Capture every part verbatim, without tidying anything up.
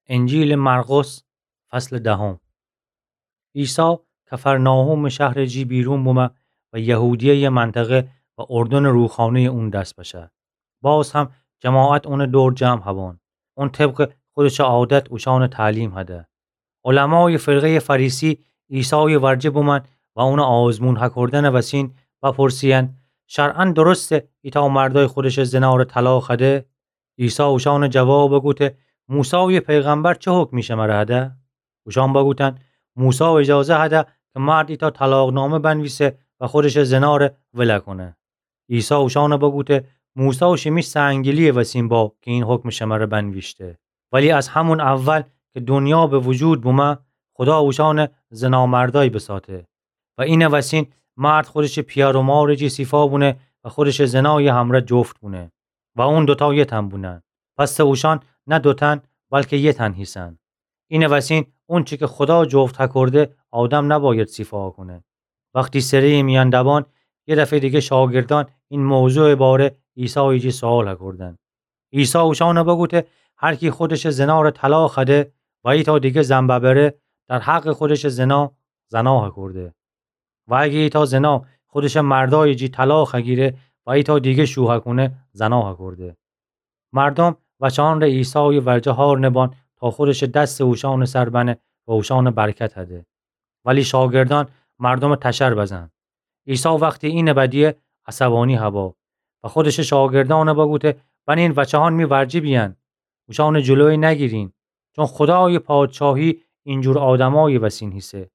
انجیلٚ مرقس، فصلٚ دهم. عیسی کفرناحومٚ شهرٚ جی بیرون بومه و یهودیه‌یٚ منطقه و اردنٚ روخانه‌یٚ اون دس بشه. باز هم جماعت اونٚ دور جمع هبان. اون طبقٚ خودشٚ عادت اوشأنٚ تعلیم هده. علمایٚ فرقه‌یٚ فریسی عیسایٚ ورجه بومأن و اونٚ آزمون هکردنٚ وسین بپرسییدن: شرعاً درسته ایتأ مردأی خودشٚ زناره طلاق هده؟ عیسی اوشأنٚ جواب بوگوته: موسایٚ پیغمبر چه حکمی شمره هده؟ اوشأن بوگوتن: موسی اجازه هده که مرد ایتأ طلاقنامه بنویسه و خودشٚ زناره ول کونه. عیسی اوشأن بوگوته: موسی شیمی سنگدلی‌یٚ وسین با که این حکمٚ شمره بنویشته. ولی از همون اول که دنیا به وجود بومه، خدا اوشأن زنامردأی بساته. و اینٚ وسین مرد خودشٚ پیأر و مارٚ جی سیفا بونه و خودشٚ زنایٚ همرأ جفت بونه و اون دوتا یه تن بونن. پس اوشأن نه دو تن، بلکه یه تن هیسن. اینٚ وسین اونچی که خدا جفت هکرده، آدم نباید سیفا کونه. وختی سره‌یٚ میأن دبان، یه دفعه دیگه شاگردأن این موضوعٚ باره عیسایٚ جی سؤال هکردن. عیسی اوشأن بوگوته: هر کی خودشٚ زناره طلاق هده و ایتأ دیگه زن ببره، در حقٚ خودشٚ زنا زنا هکرده. و اگه ایتأ زنا خودشٚ مردأیٚ جی طلاق هگیره و ایتأ دیگه شوهه کونه، زنا هکرده. مردم وچه‌هأنٚ ره عیسایٚ ورجه هار نبان تا خودشٚ دسٚ اوشأنٚ سر بنه و اوشأن برکت هده. ولی شاگردأن مردمٚ تشر بزن. عیسی وختی اینٚ بدیه، عصبانی هبا و خودشٚ شاگردأن بوگوته: بنین وچه‌هأن می ورجه بیأن، اوشأنٚ جلویه نگیرین، چون خدایٚ پادشاهی اینجور آدمایٚ وسین هیسه.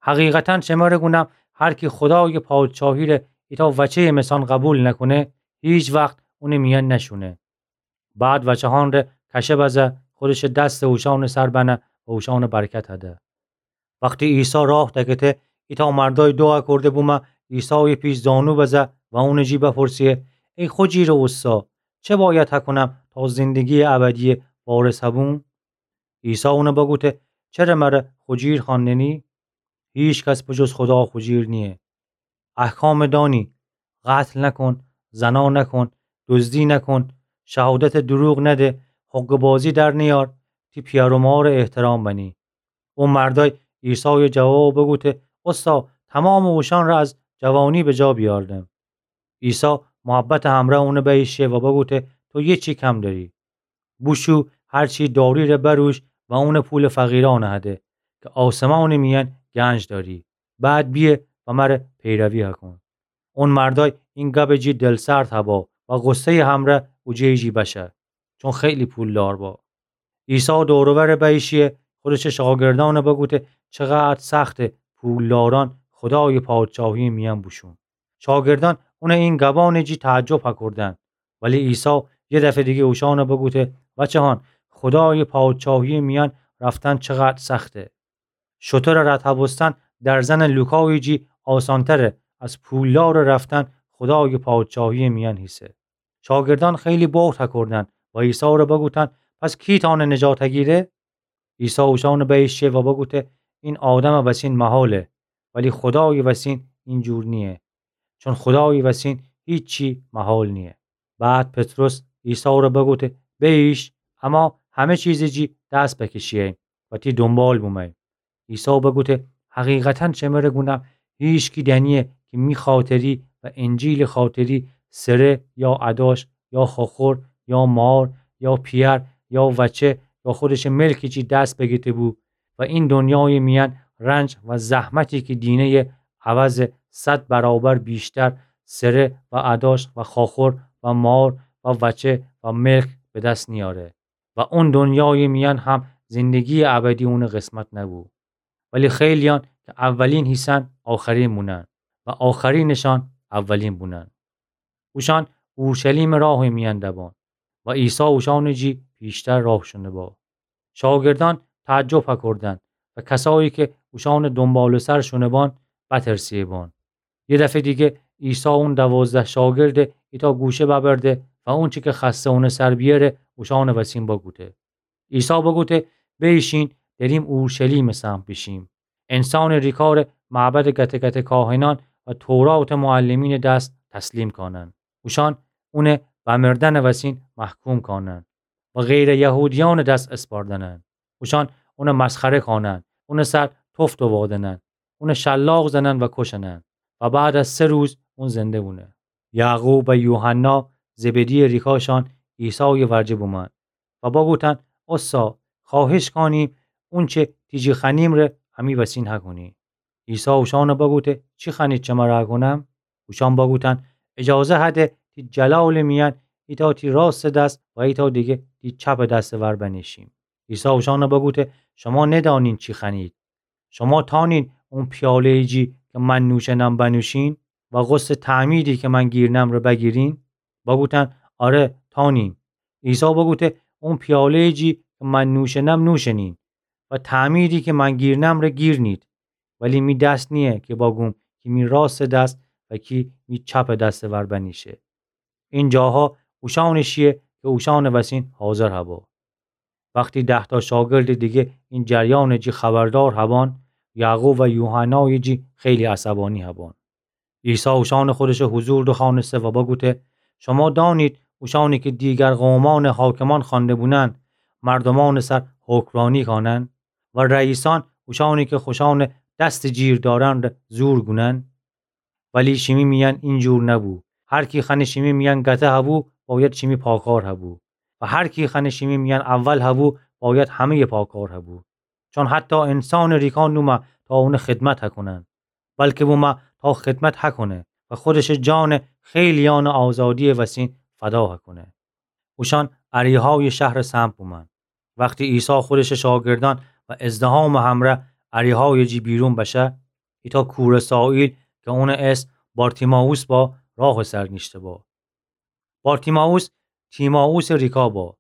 حقیقتاً شمره گونم، هر کی خدایٚ پادشاهی ره ایتأ وچه‌یٚ مثأن قبول نکونه، هیچ وخت اونٚ میأن نشونه. بعد وچه‌هأن ره کشه بزه، خودشٚ دسٚ اوشأنٚ سر بنه و اوشأن برکت هده. وختی عیسی راه دکته، ایتأ مردأی دوعا کرده بومه عیسایٚ پیش زانو بزه و اونٚ جی بپرسه: ای خوجیرٚ اوستا، چه باید هکونم تا زندگییٚ ابدییٚ وارث هبوم؟ عیسی اون بوگوته: چره مره خوجیر خوأندنی؟ هیکس به جز خودا خوجیر نییه. احکام دانی: قتل نکن، زنا نکن، دزدی نکن، شهادت دروغ نده، حقه‌بازی در نیار، تی پیأر و مار احترام بنی. او مردأی عیسای جواب بوگوته: اوستا، تومامٚ اوشأن ره از جوانی بجا بیاردم. عیسی محبتٚ همرأ اون بییشه و بوگوته: تو یه چی کم دأری. بوشو هر چی دأری ره بروش و اون پولٚ فقیرأن هده که آسمانٚ میأن گنج دأری. بعد بیه و مره پیروی هکون. اون مردأی این گبٚ جی دلسرد هبا و غصه‌یٚ همرأ اوجه‌یٚ جی بشه، چون خیلی پولدار با. عیسی دور و ور بییشیه، خودشٚ شاگردأن بوگوته: چقدر سخته پولدارأن خودایٚ پادشاهییٚ میأن بوشون. شاگردأن اونٚ این گبأنٚ جی تعجب هکردن. ولی عیسی یه دفعه دیگه اوشأن بوگوته: بچه‌هأن، خودایٚ پادشاهییٚ میأن رفتن چقدر سخته. شترٚ رد هبوستن درزنٚ لوکایٚ جی آسانتره از پولدارٚ رفتن خودایٚ پادشاهییٚ میأن هیسه. شاگردأن خیلی بهت هکردن و عیسی ره بوگوتن: پس کی تأنه نجات هگیره؟ عیسی اوشأن بییشه و بوگوته: این آدمٚ وسین محاله، ولی خودایٚ وسین این جور نییه. چون خودایٚ وسین هیچی محال نییه. بعد پطرس عیسی ره بوگوته: بییش، اما همه چیزٚ جی دس بکشییم و تی دونبال بومه‌ییم. عیسی بوگوته: حقیقتاً شمره گونم، هیکس دأنییه که می خاطری و انجیلٚ خاطری سره یا اداش یا خوخور یا مار یا پیأر یا وچه یا خودشٚ ملکٚ جی دس بگیته‌بو و این دونیایٚ میأن رنج و زحمتی که دینه‌یه عوض صد برابر ویشتر سره و اداش و خوخور و مار و وچه و ملک به دس نیاره. و اون دونیایٚ میأن هم زندگییٚ ابدی اونٚ قسمت نبو. ولی خیلییأن که اولین هیسن، آخرین بونن و آخرینٚشأن اولین بونن. اوشأن اورشلیمٚ راهٚ میأن دبان و عیسی اوشأنٚ جی پیشتر راه شونه با. شاگردأن تعجب هکردن و کسایی که اوشأنٚ دونبالٚ‌سر شونه بان، بترسه بان. یه دفعه دیگه عیسی اون دوازده شاگرده ایتأ گوشه ببرده و اونچی که خوأسته اونٚ سر بیأره اوشأنٚ وسین بوگوته. عیسی بوگوته: بییشین، دأریم اورشلیمٚ سمت بیشیم. انسانٚ ریکاره معبدٚ گته‌گتٚ کاهنأن و توراتٚ معلمینٚ دس تسلیم کانن. اوشأن اونه به مردنٚ وسین محکوم کانن و غیرٚ یهودیأنٚ دس اسپاردنن. اوشأن اونَ مسخره کانن، اونٚ سر تفت وادنن، اونَ شلاق زنن و کشنن و بعد از سه روز اون زنده بونه. یعقوب و یوحنا، زبدی‌یٚ ریکاشأن، عیسایٚ ورجه بومأن و بگوتن: اوستا، خوأهش کانیم اونچه تی جی خوأنیم ره امی وسین هکونی. عیسی اوشأنَ بگوته: چی خوأنید شمره هکونم؟ اوشأن بگوتن: اجازه هده تی جلالٚ میأن ایتأ تی راستٚ دس و ایتأ دیگه تی چپٚ دسٚ ور بنیشیم. عیسی اوشأنَ بگوته: شما ندأنین چی خوأنید. شما تأنین اون پیاله‌یٚ جی که من نوشنم بنوشین و غصه‌یٚ تعمیدی که من گیرنم ره بگیرین؟ بگوتن: آره، تأنیم. عیسی بگوته: اون پیاله‌یٚ جی که من نوشنم نوشنین و تعمیدی که من گیرنم ره گیرنید. ولی می دس نییه که بگوم کی می راستٚ دس و کی می چپٚ دسٚ ور بنیشه. این جاها اوشأنٚ شیه که اوشأنٚ وسین حاضر هبا. وختی ده‌تا شاگردٚ دیگه این جریانٚ جی خبردار هبان، یعقوب و یوحنایٚ جی خیلی عصبانی هبان. عیسی اوشأنَ خودشٚ حضور دوخوأنسته و بگوته: شما دأنید اوشأنی که دیگر قومأنٚ حاکمان خوأنده بونن مردومأنٚ سر حکمرانی کانن و رئیسأن اوشأنی که خوشأنٚ دستٚ جیر دأرن ره زور گونن؟ ولی شیمی میأن اینجور نبو. هر کی خوأنه شیمی میأن گته هبو، بأید شیمی پاکار هبو. و هر کی خوأنه شیمی میأن اول هبو، بأید همه‌یٚ پاکار هبو. چون حتی انسانٚ ریکا نومه تا اونٚ خدمت هکونن، بلکه بومه تا خدمت هکونه و خودشٚ جانَ خیلیأنٚ آزادی‌یٚ وسین فدا هکونه. اوشأن اریحایٚ شهرٚ سمت بومأن. وختی عیسی خودشٚ شاگردأن و ازدحامٚ همرأ اریحایٚ جی بیرون بشه، ایتأ کوره‌سایل که اونٚ اسم بارتیمائوس با، راهٚ سر نیشته با. بارتیمائوس تیمائوسٚ ریکا با.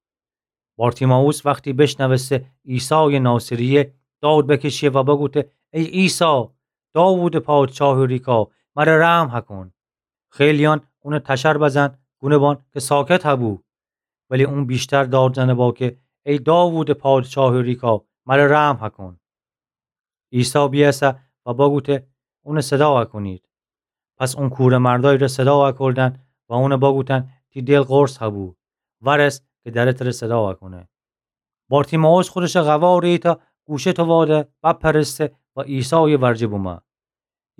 بارتیمائوس وختی بشنوسته عیسایٚ ناصریه، داد بکشیه و بگوته: ای عیسی، داوودٚ پادشاهٚ ریکا، مره رحم هکون. خیلیأن اونَ تشر بزن، گونه بان که ساکت هبو. ولی اون بیشتر داد زنه با که: ای داوودٚ پادشاهٚ ریکا، مره رحم هکون. عیسی بیأسه و بگوته: اونَ صدا هکونید. پس اون کوره‌مردای ره صدا هکردن و اونَ بگوتن: تی دل قرص هبو، ورس که دره تره صدا هکونه. بارتیمائوس خودشٚ قوارٚ ایتأ گوشه تواده بپرسته و عیسایٚ ورجه بومه.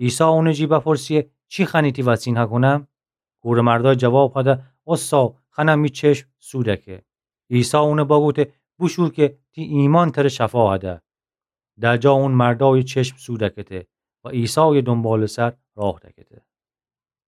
عیسی اونٚ جی بپرسیه: چی خوأنی تی وسین هکونم؟ کوره‌مردای جواب هده: اوستا، خوأنم می چشم سو دکه. عیسی اونَ بگوته: بوشو که تی ایمأن تره شفا هده. در جا اون مردایٚ چشم سو دکته و عیسایٚ دونبالٚ سر راه دکته.